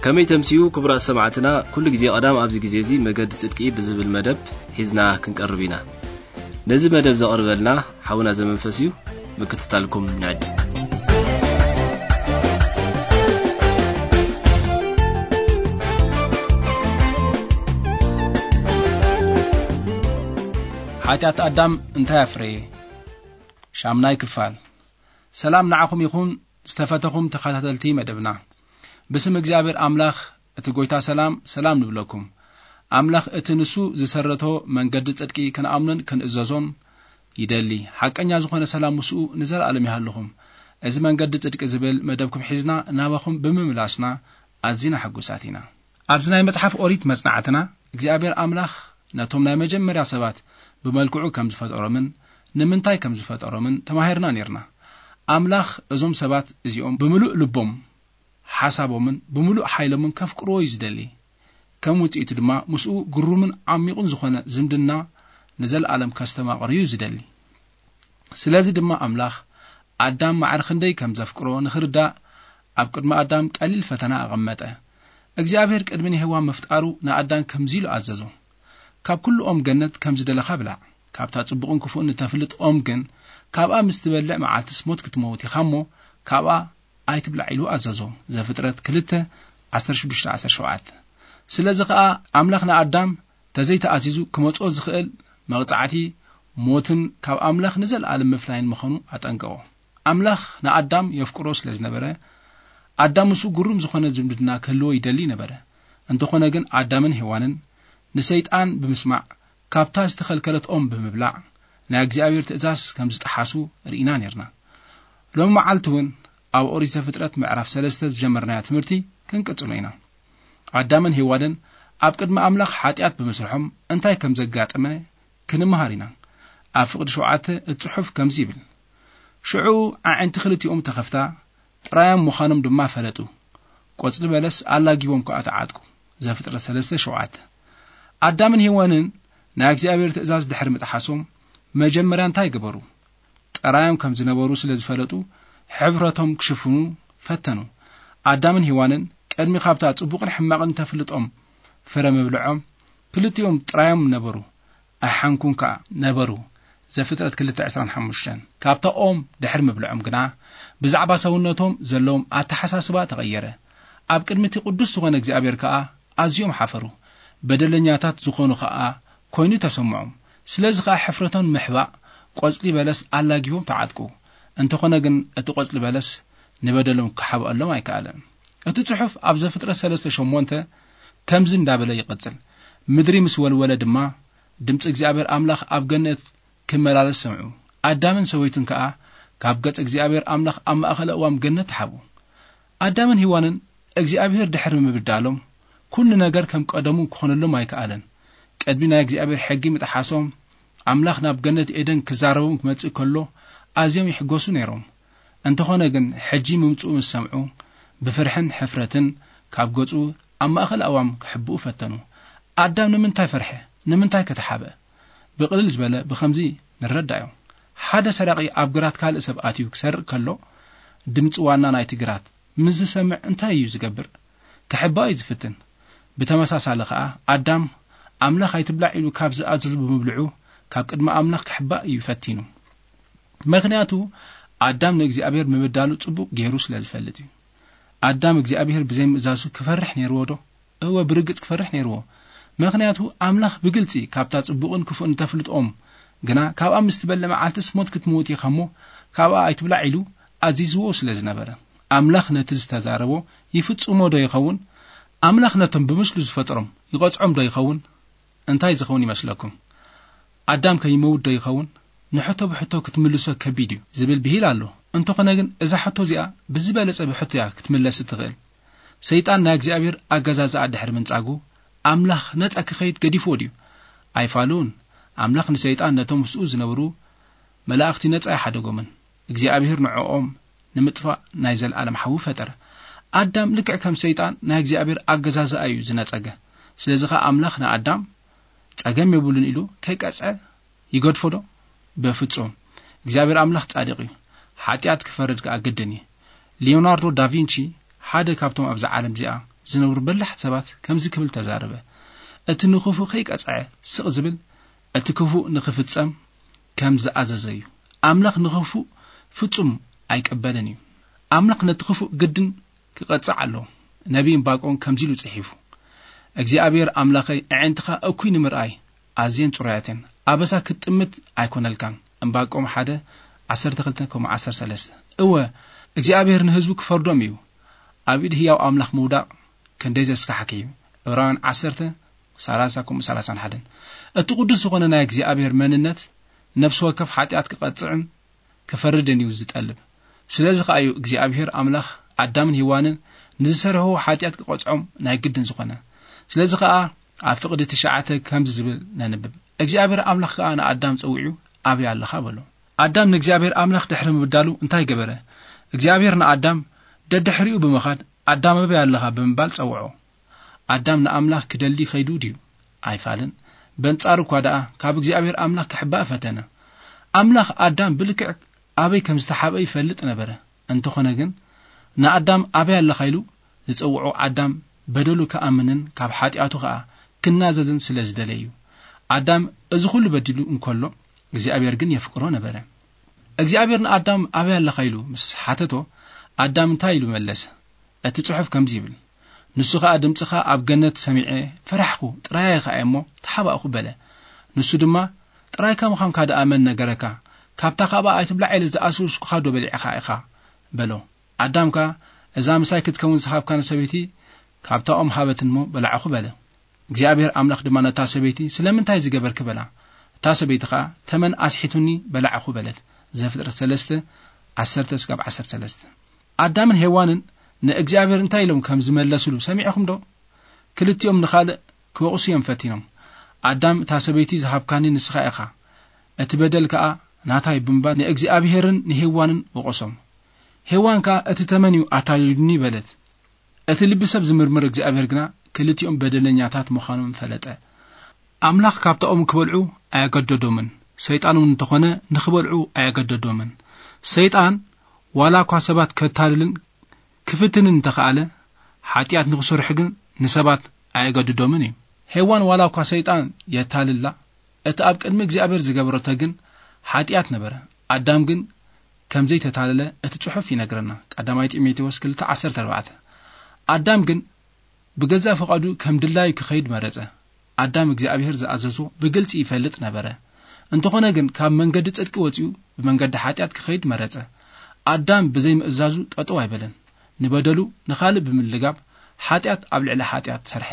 ከመይ ተምስዩ ክቡራት ሰማዕትና፣ ኩሉ ግዜ ቀዳም ኣብዚ ግዜ እዚ መገዲ ጽድቂ ብዝብል መደብ ሒዝና ክንቀርብ ኢና። ነዚ መደብ ዘቕርበልና ሓውና ዘመንፈስ እዩ። ምክትታልኩም ንዕድም። ሓጢኣት ኣዳም እንታይ ኣፍረየ? ሻምናይ ክፋል። ሰላም ንዓኹም ይኹን ዝተፈተኹም ተኸታተልቲ መደብና። ብስም እግዚኣብሔር ኣምላኽ እቲ ጎይታ ሰላም፣ ሰላም ንብለኩም። ኣምላኽ እቲ ንሱ ዝሰረቶ መንገዲ ጽድቂ ክንኣምኖን ክንእዘዞን ይደሊ። ሓቀኛ ዝኾነ ሰላም ምስኡ ንዘለኣለም ይሃልኹም። እዚ መንገዲ ጽድቂ ዝብል መደብኩም ሒዝና ናባኹም ብምምላስና ኣዚና ሕጉሳት ኢና። ኣብዚ ናይ መጽሓፍ ኦሪት መጽናዕትና እግዚኣብሔር ኣምላኽ ነቶም ናይ መጀመርያ ሰባት ብመልክዑ ከም ዝፈጠሮምን ንምንታይ ከም ዝፈጠሮምን ተማሂርና ኔርና። ኣምላኽ እዞም ሰባት እዚኦም ብምሉእ ልቦም፣ ሓሳቦምን ብምሉእ ሓይሎምን ከፍቅርዎ እዩ ዝደሊ። ከም ውጽኢቱ ድማ ምስኡ ግሩምን ዓሚቑን ዝኾነ ዝምድና ንዘለኣለም ከስተማቕር እዩ ዝደሊ። ስለዚ ድማ ኣምላኽ ኣዳም ማዕረ ክንደይ ከም ዘፍቅሮ ንኽርዳእ ኣብ ቅድሚ ኣዳም ቀሊል ፈተና ኣቐመጠ። እግዚኣብሔር ቅድሚ ንሄዋን ምፍጣሩ ንኣዳም ከምዚ ኢሉ ኣዘዞ። ካብ ኩሉ ኦም ገነት ከም ዝደለኻ ብላዕ። ካብታ ጽቡቕን ክፉእን እተፍልጥ ኦም ግን ካብኣ ምስ ትበልዕ መዓልትስ ሞት ክትመውት ኢኻ እሞ ካብኣ ኣይትብላዕ ኢሉ ኣዘዞ። ዘፍጥረት ክልተ፣ ዓሰርተ ሽዱሽተ፣ ዓሰርተ ሸውዓተ። ስለዚ ኸኣ ኣምላኽ ንኣዳም ተዘይተኣዚዙ ክመጽኦ ዝኽእል መቕጻዕቲ ሞትን ካብ ኣምላኽ ንዘለኣለም ምፍላይን ምዃኑ ኣጠንቀቖ። ኣምላኽ ንኣዳም የፍቅሮ ስለ ዝነበረ ኣዳም ምስኡ ግሩም ዝኾነ ዝምድና ክህልዎ ይደሊ ነበረ። እንተኾነ ግን ኣዳምን ሄዋንን ንሰይጣን ብምስማዕ ካብታ ዝተኸልከለት ኦም ብምብላዕ ናይ እግዚኣብሔር ትእዛዝ ከም ዝጠሓሱ ርኢና ኔርና። ሎሚ መዓልቲ እውን ኣብ ኦሪት ዘፍጥረት ምዕራፍ ሰለስተ ዝጀመርናዮ ትምህርቲ ክንቅጽሎ ኢና። ኣዳምን ሄዋንን ኣብ ቅድሚ ኣምላኽ ሓጢኣት ብምስርሖም እንታይ ከም ዘጋጠመ ክንምሃር ኢና። ኣብ ፍቕዲ ሸውዓተ እቲ ጽሑፍ ከምዚ ይብል፣ ሽዑ ኣዒንቲ ክልቲኦም ተኸፍታ፣ ጥራዮም ምዃኖም ድማ ፈለጡ። ቆጽሊ በለስ ኣላጊቦም ከኣ ተዓጥቁ። ዘፍጥረት ሰለስተ ሸውዓተ። ኣዳምን ሄዋንን ናይ እግዚኣብሔር ትእዛዝ ድሕሪ ምጥሓሶም መጀመርያ እንታይ ገበሩ? ጥራዮም ከም ዝነበሩ ስለ ዝፈለጡ ሕብረቶም ክሽፍኑ ፈተኑ። ኣዳምን ሄዋንን ቅድሚ ካብታ ጽቡቕን ሕማቕን ተፍልጦም ፍረ ምብልዖም ክልቲኦም ጥራዮም ነበሩ። ኣይሓንኩን ከኣ ነበሩ። ዘፍጥረት ክልተ ዕስራን ሓሙሽተን። ካብታ ኦም ድሕሪ ምብልዖም ግና ብዛዕባ ሰውነቶም ዘለዎም ኣተሓሳስባ ተቐየረ። ኣብ ቅድሚ እቲ ቅዱስ ዝኾነ እግዚኣብሔር ከኣ ኣዝዮም ሓፈሩ። በደለኛታት ዝኾኑ ኸኣ ኮይኑ ተሰምዖም። ስለዚ ኸኣ ሕፍረቶም ንምሕባእ ቆጽሊ በለስ ኣላጊቦም ተዓጥቁ። እንተኾነ ግን እቲ ቆጽሊ በለስ ንበደሎም ክሓብኣሎም ኣይከኣለን። እቲ ጽሑፍ ኣብ ዘፍጥረት ሰለስተ ሸሞንተ ከምዚ እንዳበለ ይቕጽል፣ ምድሪ ምስ ወልወለ ድማ ድምጺ እግዚኣብሔር ኣምላኽ ኣብ ገነት ክመላለስ ሰምዑ። ኣዳምን ሰበይቱን ከኣ ካብ ገጽ እግዚኣብሔር ኣምላኽ ኣብ ማእከለ እዋም ገነት ተሓቡ። ኣዳምን ሄዋንን እግዚኣብሔር ድሕሪ ምብዳሎም ኩሉ ነገር ከም ቀደሙ ክኾነሎም ኣይከኣለን። ቅድሚ ናይ እግዚኣብሔር ሕጊ ምጥሓሶም ኣምላኽ ናብ ገነት ኤደን ክዛረቦም ክመጽእ ከሎ ኣዝዮም ይሕጎሱ ነይሮም። እንተኾነ ግን ሕጂ ምምጽኡ ምስ ሰምዑ ብፍርሕን ሕፍረትን ካብ ገጹ ኣብ ማእከል ኣእዋም ክሕብኡ ፈተኑ። ኣዳም ንምንታይ ፈርሐ? ንምንታይ ከተሓበ? ብቕልል ዝበለ ብኸምዚ ንረዳዮ። ሓደ ሰራቒ ኣብ ግራት ካልእ ሰብ ኣትዩ ክሰርቕ ከሎ ድምጺ ዋና ናይቲ ግራት ምስ ዝሰምዕ እንታይ እዩ ዝገብር? ክሕባእ እዩ ዝፍትን። ብተመሳሳሊ ኸኣ ኣዳም ኣምላኽ ኣይትብላዕ ኢሉ ካብ ዝኣዘዙ ብምብልዑ ካብ ቅድሚ ኣምላኽ ክሕባእ እዩ ፈቲኑ። ምኽንያቱ ኣዳም ንእግዚኣብሔር ምብዳሉ ጽቡቕ ገይሩ ስለ ዝፈልጥ እዩ። ኣዳም እግዚኣብሔር ብዘይምእዛዙ ክፈርሕ ነይርዎ ዶ? እወ፣ ብርግጽ ክፈርሕ ነይርዎ። ምኽንያቱ ኣምላኽ ብግልጺ ካብታ ጽቡቕን ክፉእን እተፍልጥ ኦም ግና ካብኣ ምስ ትበልዕ መዓልትስ ሞት ክትመውት ኢኻ እሞ ካብኣ ኣይትብላዕ ኢሉ ኣዚዝዎ ስለ ዝነበረ። ኣምላኽ ነቲ ዝተዛረቦ ይፍጽሞ ዶ ይኸውን? ኣምላኽ ነቶም ብምስሉ ዝፈጠሮም ይቐጽዖም ዶ ይኸውን? እንታይ ዝኸውን ይመስለኩም? ኣዳም ከ ይመውት ዶ ይኸውን? ንሕቶ ብሕቶ ክትምልሶ ከቢድ እዩ ዝብል ብሂል ኣሎ። እንተኾነ ግን እዛ ሕቶ እዚኣ ብዝበለጸ ብሕቶ እያ ክትምለስ እትኽእል። ሰይጣን ናይ እግዚኣብሔር ኣገዛዝኣ ድሕሪ ምንጻጉ ኣምላኽ ነጻ ክኸይድ ገዲፍዎ ድዩ? ኣይፋሉን። ኣምላኽ ንሰይጣን ነቶም ምስኡ ዝነብሩ መላእኽቲ ነጻ ኣይሓደጎምን። እግዚኣብሔር ንዕኦም ንምጥፋእ ናይ ዘለኣለም ሓዊ ፈጠረ። ኣዳም ልክዕ ከም ሰይጣን ናይ እግዚኣብሔር ኣገዛዝኣ እዩ ዝነጸገ። ስለዚ ኸኣ ኣምላኽ ንኣዳም ጸገም የብሉን ኢሉ ከይቀጽዐ ይገድፎ ዶ? በፍጹም። እግዚኣብሔር ኣምላኽ ጻድቕ እዩ። ሓጢኣት ክፈርድ ከኣ ግድን እዩ። ሊዮናርዶ ዳቪንቺ ሓደ ካብቶም ኣብዛ ዓለም እዚኣ ዝነብሩ በላሕቲ ሰባት ከምዚ ክብል ተዛረበ። እቲ ንኽፉእ ከይቀጽዐ ስቕ ዝብል፣ እቲ ክፉእ ንኽፍጸም ከም ዝኣዘዘ እዩ። ኣምላኽ ንኽፉእ ፍጹም ኣይቀበልን እዩ። ኣምላኽ ነቲ ክፉእ ግድን ክቐጽዕ ኣለዎ። ነቢይ ዕንባቆም ከምዚ ኢሉ ጽሒፉ፣ "እግዚኣብሔር ኣምላኸይ፣ ኣዒንትኻ እኩይ ንምርኣይ ኣዝየን ጽሩያት እየን። ኣበሳ ክትጥምት ኣይኮነልካን።" ዕንባቆም ሓደ፣ ዓሰርተ ክልተ ከምኡ ዓሰርተ ሰለስተ። እወ፣ እግዚኣብሔር ንህዝቡ ክፈርዶም እዩ። ኣብ ኢድ ህያው ኣምላኽ ምውዳቕ ክንደይ ዘስካሕክ እዩ። ዕብራውያን ዓሰርተ፣ ሰላሳ ከምኡ ሰላሳን ሓደን። እቲ ቅዱስ ዝኾነ ናይ እግዚኣብሔር መንነት ነፍሲ ወከፍ ሓጢኣት ክቐጽዕን ክፈርድን እዩ ዝጠልብ። ስለዚ ከኣ እዩ እግዚኣብሔር ኣምላኽ ኣዳምን ሄዋንን ንዝሰርሕዎ ሓጢኣት ክቐጽዖም ናይ ግድን ዝኾነ። ስለዚ ከኣ ኣብ ፍቕዲ ትሽዓተ ከምዚ ዝብል ነንብብ፣ "እግዚኣብሔር ኣምላኽ ከኣ ንኣዳም ጸዊዑ፣ ኣበይ ኣለኻ?" በሎ። ኣዳም ንእግዚኣብሔር ኣምላኽ ድሕሪ ምብዳሉ እንታይ ገበረ? እግዚኣብሔር ንኣዳም ደድሕሪኡ ብምኻድ፣ "ኣዳም ኣበይ ኣለኻ?" ብምባል ጸውዖ። ኣዳም ንኣምላኽ ክደሊ ከይዱ ድዩ? ኣይፋልን። በንጻሩ እኳ ደኣ ካብ እግዚኣብሔር ኣምላኽ ክሕባእ ፈተነ። ኣምላኽ ኣዳም ብልክዕ ኣበይ ከም ዝተሓብአ ይፈልጥ ነበረ። እንተኾነ ግን ንኣዳም ኣበይ ኣለኻ ኢሉ ዝጸውዖ ኣዳም በደሉ ክኣምንን ካብ ሓጢኣቱ ኸኣ ክናዘዝን ስለ ዝደለየ እዩ። ኣዳም እዚ ኹሉ በዲሉ እንከሎ እግዚኣብሔር ግን የፍቅሮ ነበረ። እግዚኣብሔር ንኣዳም ኣበይ ኣለኻ ኢሉ ምስ ሓተቶ ኣዳም እንታይ ኢሉ መለሰ? እቲ ጽሑፍ ከምዚ ይብል፣ "ንሱ ኸኣ ድምጽኻ ኣብ ገነት ሰሚዐ ፈራሕኩ፣ ጥራይ ከኣ እሞ ተሓባእኩ" በለ። ንሱ ድማ፣ "ጥራይካ ምዃንካ ደኣ መን ነገረካ? ካብታ ካብኣ ኣይትብላዕ ኢለ ዝኣዘዝኩኻዶ በሊዕኻ ኢኻ?" በሎ። ኣዳም ከኣ፣ "እዛ ምሳይ ክትከውን ዝሃብካኒ ሰበይቲ ካብታ ኦም ሃበትኒ እሞ በላዕኹ" በለ። እግዚኣብሔር ኣምላኽ ድማ ነታ ሰበይቲ፣ "ስለምንታይ እዚ ገበርኪ?" በላ። እታ ሰበይቲ ኸኣ፣ "ተመን ኣስሒቱኒ በላዕኹ" በለት። ዘፍጥረት ሰለስተ፣ ዓሰርተ እስካብ ዓሰርተ ሰለስተ። ኣዳምን ሄዋንን ንእግዚኣብሔር እንታይ ኢሎም ከም ዝመለሱሉ ሰሚዕኹም ዶ? ክልቲኦም ንኻልእ ክወቕሱ እዮም ፈቲኖም። ኣዳም፣ "እታ ሰበይቲ ዝሃብካኒ ንስኻ ኢኻ፣ እቲ በደል ከኣ ናታይ" ብምባል ንእግዚኣብሔርን ንሄዋንን ወቐሶም። ሄዋን ከኣ፣ "እቲ ተመን እዩ ኣታሊሉኒ" በለት። እቲ ልቢ ሰብ ዝምርምር እግዚኣብሔር ግና ክልቲኦም በደለኛታት ምዃኖም ፈለጠ። ኣምላኽ ካብታ ኦም ክበልዑ ኣየገደዶምን፣ ሰይጣን እውን እንተኾነ ንኽበልዑ ኣየገደዶምን። ሰይጣን ዋላ እኳ ሰባት ከታልልን ክፍትንን እንተኸኣለ፣ ሓጢኣት ንኽሰርሑ ግን ንሰባት ኣየገድዶምን እዩ። ሄዋን ዋላ እኳ ሰይጣን የታልላ፣ እቲ ኣብ ቅድሚ እግዚኣብሔር ዝገበረቶ ግን ሓጢኣት ነበረ። ኣዳም ግን ከም ዘይተታለለ እቲ ጽሑፍ ይነግረና። ቀዳማይ ጢሞቴዎስ ክልተ ዓሰርተ ኣርባዕተ። ኣዳም ግን ብገዛእ ፍቓዱ ከም ድላዩ ክኸይድ መረጸ። ኣዳም እግዚኣብሔር ዝኣዘዞ ብግልጺ ይፈልጥ ነበረ። እንተኾነ ግን ካብ መንገዲ ጽድቂ ወጺኡ ብመንገዲ ሓጢኣት ክኸይድ መረጸ። ኣዳም ብዘይ ምእዛዙ ጠጠው ኣይበለን። ንበደሉ ንኻልእ ብምልጋብ ሓጢኣት ኣብ ልዕሊ ሓጢኣት ሰርሐ።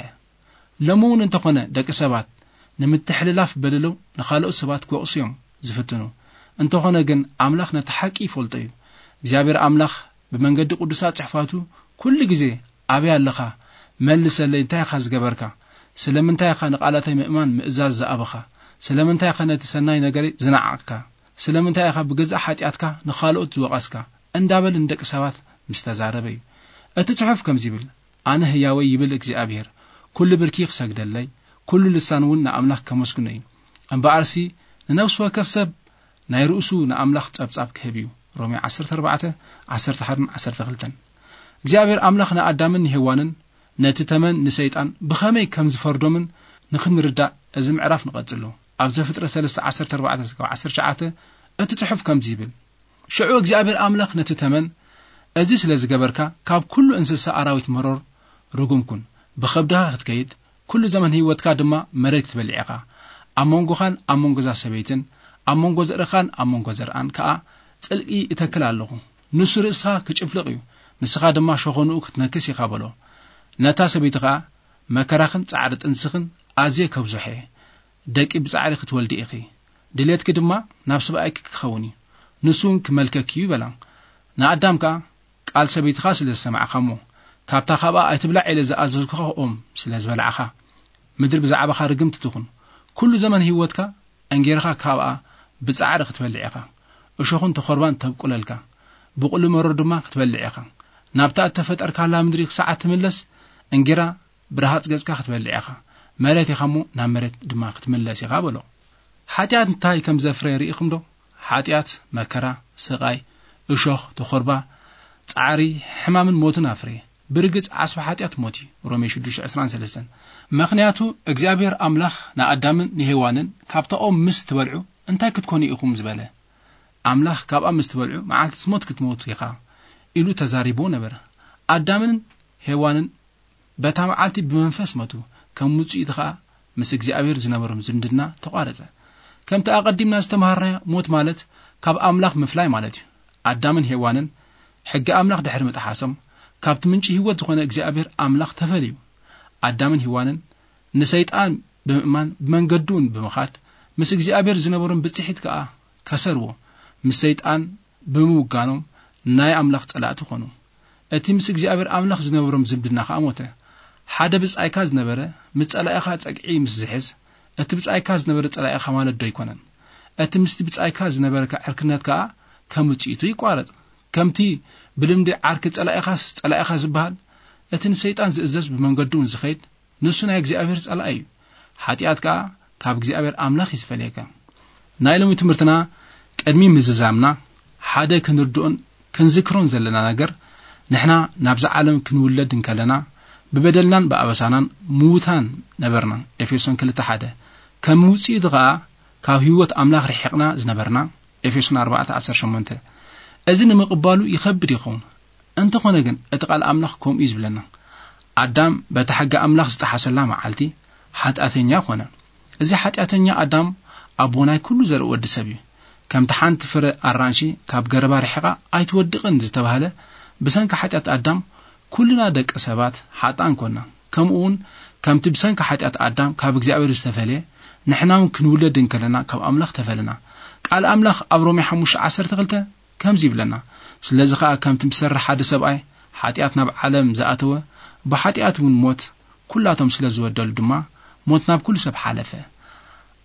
ሎሚ እውን እንተኾነ ደቂ ሰባት ንምትሕልላፍ በደሎም ንኻልኦት ሰባት ክወቕሱ እዮም ዝፍትኑ። እንተኾነ ግን ኣምላኽ ነቲ ሓቂ ይፈልጦ እዩ። እግዚኣብሔር ኣምላኽ ብመንገዲ ቅዱሳት ጽሕፋቱ ኩሉ ግዜ፣ "ኣበይ ኣለኻ? መልሰለይ፣ እንታይ ኢኻ ዝገበርካ? ስለምንታይ ኢኻ ንቓላተይ ምእማን ምእዛዝ ዝኣበኻ? ስለምንታይ ኢኻ ነቲ ሰናይ ነገረይ ዝነዓቕካ? ስለምንታይ ኢኻ ብገዛእ ሓጢኣትካ ንኻልኦት ዝወቐስካ?" እንዳበለ ንደቂ ሰባት ምስ ተዛረበ እዩ። እቲ ጽሑፍ ከምዚ ይብል፣ "ኣነ ህያወይ ይብል እግዚኣብሔር፣ ኩሉ ብርኪ ክሰግደለይ፣ ኩሉ ልሳን እውን ንኣምላኽ ከመስግኖ እዩ። እምበኣርሲ ንነፍሲ ወከፍ ሰብ ናይ ርእሱ ንኣምላኽ ጸብጻብ ክህብ እዩ።" ሮሜ ዓሰርተ ኣርባዕተ፣ ዓሰርተ ሓደን ዓሰርተ ክልተን። እግዚኣብሔር ኣምላኽ ንኣዳምን ንሄዋንን ነቲ ተመን ንሰይጣን ብኸመይ ከም ዝፈርዶምን ንኽንርዳእ እዚ ምዕራፍ ንቐጽሎ። ኣብ ዘፍጥረት ሰለስተ ዓሰርተ ኣርባዕተ እስካብ ዓሰርተ ትሽዓተ እቲ ጽሑፍ ከምዚ ይብል፣ ሽዑ እግዚኣብሔር ኣምላኽ ነቲ ተመን፣ "እዚ ስለ ዝገበርካ ካብ ኩሉ እንስሳ ኣራዊት መሮር ርጉም ኩን። ብኸብድኻ ክትከይድ፣ ኩሉ ዘመን ህይወትካ ድማ መሬት ክትበልዕ ኢኻ። ኣብ መንጎኻን ኣብ መንጎ እዛ ሰበይትን ኣብ መንጎ ዘርእኻን ኣብ መንጎ ዘርኣን ከኣ ጽልኢ እተክል ኣለኹ። ንሱ ርእስኻ ክጭፍልቕ እዩ፣ ንስኻ ድማ ሸኾንኡ ክትነክስ ኢኻ" በሎ። ነታ ሰበይቲ ኸኣ፣ "መከራኽን ጻዕሪ ጥንስኽን ኣዝየ ከብዝሖ እየ። ደቂ ብጻዕሪ ክትወልዲ ኢኺ። ድሌትኪ ድማ ናብ ሰብኣይኪ ክኸውን እዩ፣ ንሱ እውን ክመልከኪ እዩ" በላ። ንኣዳም ከኣ፣ "ቃል ሰበይትኻ ስለ ዝሰማዕካ እሞ፣ ካብታ ካብኣ ኣይትብላዕ ኢለ ዝኣዘዝኩኻ ኦም ስለ ዝበላዕኻ፣ ምድሪ ብዛዕባኻ ርግምቲ ትኹን። ኩሉ ዘመን ህይወትካ እንጌራኻ ካብኣ ብጻዕሪ ክትበልዕ ኢኻ። እሾኽን ተኾርባን ተብቁለልካ፣ ብቑሊ መሮር ድማ ክትበልዕ ኢኻ። ናብታ እተፈጠርካላ ምድሪ ክሳዕ እትምለስ፣ እንጌራ ብረሃጽ ገጽካ ክትበልዕ ኢኻ። መሬት ኢኻ እሞ ናብ መሬት ድማ ክትምለስ ኢኻ" በሎ። ሓጢኣት እንታይ ከም ዘፍረየ ርኢኹም ዶ? ሓጢኣት መከራ፣ ስቓይ፣ እሾኽ፣ ተኾርባ፣ ጻዕሪ፣ ሕማምን ሞትን ኣፍረየ። ብርግጽ ዓስቢ ሓጢኣት ሞት እዩ። ሮሜ ሽዱሽተ ዕስራን ሰለስተን። ምኽንያቱ እግዚኣብሔር ኣምላኽ ንኣዳምን ንሄዋንን፣ "ካብታ ኦም ምስ ትበልዑ እንታይ ክትኮኑ ኢኹም ዝበለ? ኣምላኽ ካብኣ ምስ ትበልዑ መዓልትስ ሞት ክትሞቱ ኢኻ" ኢሉ ተዛሪቦ ነበረ። ኣዳምን ሄዋንን በታ መዓልቲ ብመንፈስ ሞቱ፣ ከም ውጽኢቱ ኸኣ ምስ እግዚኣብሔር ዝነበሮም ዝምድና ተቋረጸ። ከምቲ ኣቐዲምና ዝተማሃርናዮ፣ ሞት ማለት ካብ ኣምላኽ ምፍላይ ማለት እዩ። ኣዳምን ሄዋንን ሕጊ ኣምላኽ ድሕሪ ምጥሓሶም፣ ካብቲ ምንጪ ህይወት ዝኾነ እግዚኣብሔር ኣምላኽ ተፈልዩ። ኣዳምን ሄዋንን ንሰይጣን ብምእማን፣ ብመንገዱ እውን ብምኻድ፣ ምስ እግዚኣብሔር ዝነበሮም ብጽሒት ከኣ ከሰርዎ፣ ምስ ሰይጣን ብምውጋኖም ናይ ኣምላኽ ጸላእቲ ኾኑ። እቲ ምስ እግዚኣብሔር ኣምላኽ ዝነበሮም ዝምድና ከኣ ሞተ። ሓደ ብጻይካ ዝነበረ ምስ ጸላኢኻ ጸግዒ ምስ ዝሕዝ፣ እቲ ብጻይካ ዝነበረ ጸላኢኻ ማለት ዶ ኣይኮነን? እቲ ምስቲ ብጻይካ ዝነበረካ ዕርክነት ከኣ ከም ውጽኢቱ ይቋረጽ። ከምቲ ብልምዲ ዓርኪ ጸላኢኻስ ጸላኢኻ ዝበሃል፣ እቲ ንሰይጣን ዝእዘዝ ብመንገዱ እውን ዝኸይድ ንሱ ናይ እግዚኣብሔር ጸላኢ እዩ። ሓጢኣት ከኣ ካብ እግዚኣብሔር ኣምላኽ እዩ ዝፈልየካ። ናይ ሎሚ ትምህርትና ቅድሚ ምዝዛምና ሓደ ክንርድኦን ክንዝክሮን ዘለና ነገር፣ ንሕና ናብዛ ዓለም ክንውለድ እንከለና ብበደልናን ብኣበሳናን ምዉታን ነበርና። ኤፌሶን ክልተ ሓደ። ከም ውጽኢቱ ከኣ ካብ ህይወት ኣምላኽ ርሒቕና ዝነበርና። ኤፌሶን ኣርባዕተ ዓሰርተ ሸሞንተ። እዚ ንምቕባሉ ይኸብድ ይኸውን። እንተኾነ ግን እቲ ቃል ኣምላኽ ከምኡ እዩ ዝብለና። ኣዳም በታ ሕጊ ኣምላኽ ዝጠሓሰላ መዓልቲ ሓጢኣተኛ ኾነ። እዚ ሓጢኣተኛ ኣዳም ኣቦ ናይ ኩሉ ዘርኢ ወዲ ሰብ እዩ። ከምቲ ሓንቲ ፍረ ኣራንሺ ካብ ገረባ ርሒቓ ኣይትወድቕን ዝተባህለ፣ ብሰንኪ ሓጢኣት ኣዳም ኩልና ደቂ ሰባት ሓጥኣን ኮና። ከምኡ እውን ከምቲ ብሰንኪ ሓጢኣት ኣዳም ካብ እግዚኣብሔር ዝተፈልየ፣ ንሕና እውን ክንውለድ እንከለና ካብ ኣምላኽ ተፈለና። ቃል ኣምላኽ ኣብ ሮሜ ሓሙሽተ ዓሰርተ ክልተ ከምዚ ይብለና፣ "ስለዚ ኸኣ ከምቲ ብሰሪ ሓደ ሰብኣይ ሓጢኣት ናብ ዓለም ዝኣተወ፣ ብሓጢኣት እውን ሞት፣ ኩላቶም ስለ ዝበደሉ ድማ ሞት ናብ ኩሉ ሰብ ሓለፈ።"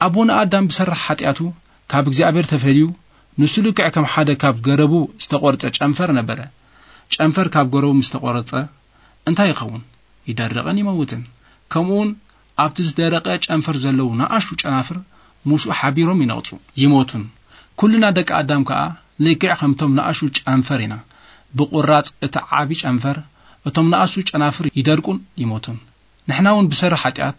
ኣቦና ኣዳም ብሰራሕ ሓጢኣቱ ካብ እግዚኣብሔር ተፈልዩ፣ ንሱ ልክዕ ከም ሓደ ካብ ገረቡ ዝተቖርጸ ጨንፈር ነበረ። ጨንፈር ካብ ገረቡ ምስ ተቖረጸ እንታይ ይኸውን? ይደርቕን ይመውትን። ከምኡውን ኣብቲ ዝደረቐ ጨንፈር ዘለዉ ንኣሽቱ ጨናፍር ምስኡ ሓቢሮም ይነቕጹ፣ ይሞቱን። ኩልና ደቂ ኣዳም ከኣ ልክዕ ከምቶም ንኣሽቱ ጨንፈር ኢና። ብቑራጽ እቲ ዓቢ ጨንፈር እቶም ንኣሽቱ ጨናፍር ይደርቁን ይሞቱን። ንሕና እውን ብሰሪ ሓጢኣት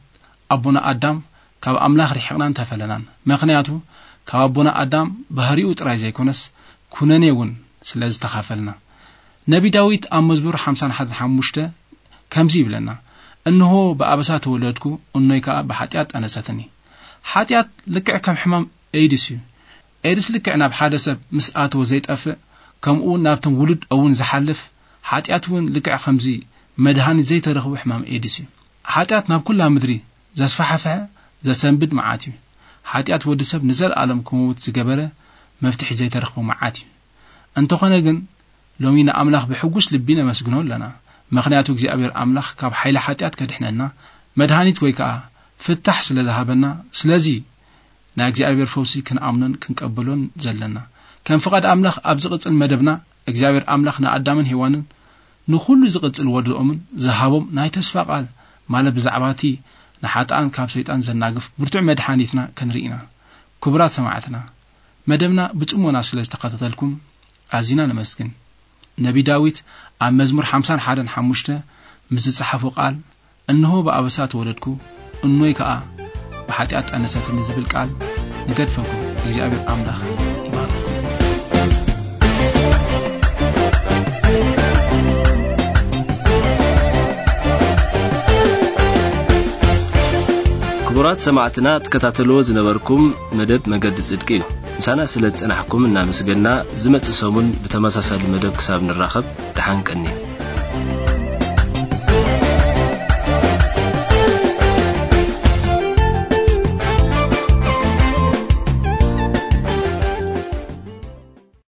ኣቦና ኣዳም ካብ ኣምላኽ ርሒቕናን ተፈለናን። ምኽንያቱ ካብ ኣቦና ኣዳም ባህሪኡ ጥራይ ዘይኮነስ ኩነኔ እውን ስለ ዝተኻፈልና። ነቢ ዳዊት ኣብ መዝሙር ሓምሳን ሓደን ሓሙሽተ ከምዚ ይብለና፣ "እንሆ ብኣበሳ ተወለድኩ፣ እኖይ ከኣ ብሓጢኣት ጠነሰትኒ።" ሓጢኣት ልክዕ ከም ሕማም ኤድስ እዩ። ኤድስ ልክዕ ናብ ሓደ ሰብ ምስ ኣተወ ዘይጠፍእ፣ ከምኡ እውን ናብቶም ውሉድ እውን ዝሓልፍ፣ ሓጢኣት እውን ልክዕ ከምዚ መድሃኒት ዘይተረኽቦ ሕማም ኤድስ እዩ። ሓጢኣት ናብ ኩላ ምድሪ ዘስፋሕፍሐ፣ ዘሰንብድ መዓት እዩ። ሓጢኣት ወዲ ሰብ ንዘለኣለም ክመውት ዝገበረ፣ መፍትሒ ዘይተረኽቦ መዓት እዩ። እንተኾነ ግን፣ ሎሚ ንኣምላኽ ብሕጉስ ልቢ ነመስግኖ ኣለና። ምኽንያቱ እግዚኣብሔር ኣምላኽ ካብ ሓይሊ ሓጢኣት ከድሕነና፣ መድሃኒት ወይ ከኣ ፍታሕ ስለ ዝሃበና፣ ስለዚ ናይ እግዚኣብሔር ፈውሲ ክንኣምኖን ክንቀበሎን ዘለና። ከም ፍቓድ ኣምላኽ ኣብ ዝቕጽል መደብና፣ እግዚኣብሔር ኣምላኽ ንኣዳምን ሄዋንን ንኹሉ ዝቕጽል ወድኦምን ዝሃቦም ናይ ተስፋ ቃል፣ ማለት ብዛዕባ እቲ ንሓጥኣን ካብ ሰይጣን ዘናግፍ ብርቱዕ መድሓኒትና ክንርኢ ኢና። ክቡራት ሰማዕትና፣ መደብና ብጽሞና ስለ ዝተኸታተልኩም ኣዚና ነመስግን። ነቢ ዳዊት ኣብ መዝሙር ሓምሳን ሓደን ሓሙሽተ ምስ ዝጸሓፎ ቃል፣ "እንሆ ብኣበሳ ተወለድኩ፣ እኖይ ከኣ ብሓጢኣት ጠነሰትኒ" ዝብል ቃል ንገድፈኩም። እግዚኣብሔር ኣምላኽ ይባርኩም። ክቡራት ሰማዕትና፣ ትከታተልዎ ዝነበርኩም መደብ መገዲ ጽድቂ እዩ። ምሳና ስለ ዝጸናሕኩም እናመስገና፣ ዝመጽእ ሰሙን ብተመሳሳሊ መደብ ክሳብ ንራኸብ፣ ደሓን ቀኒ።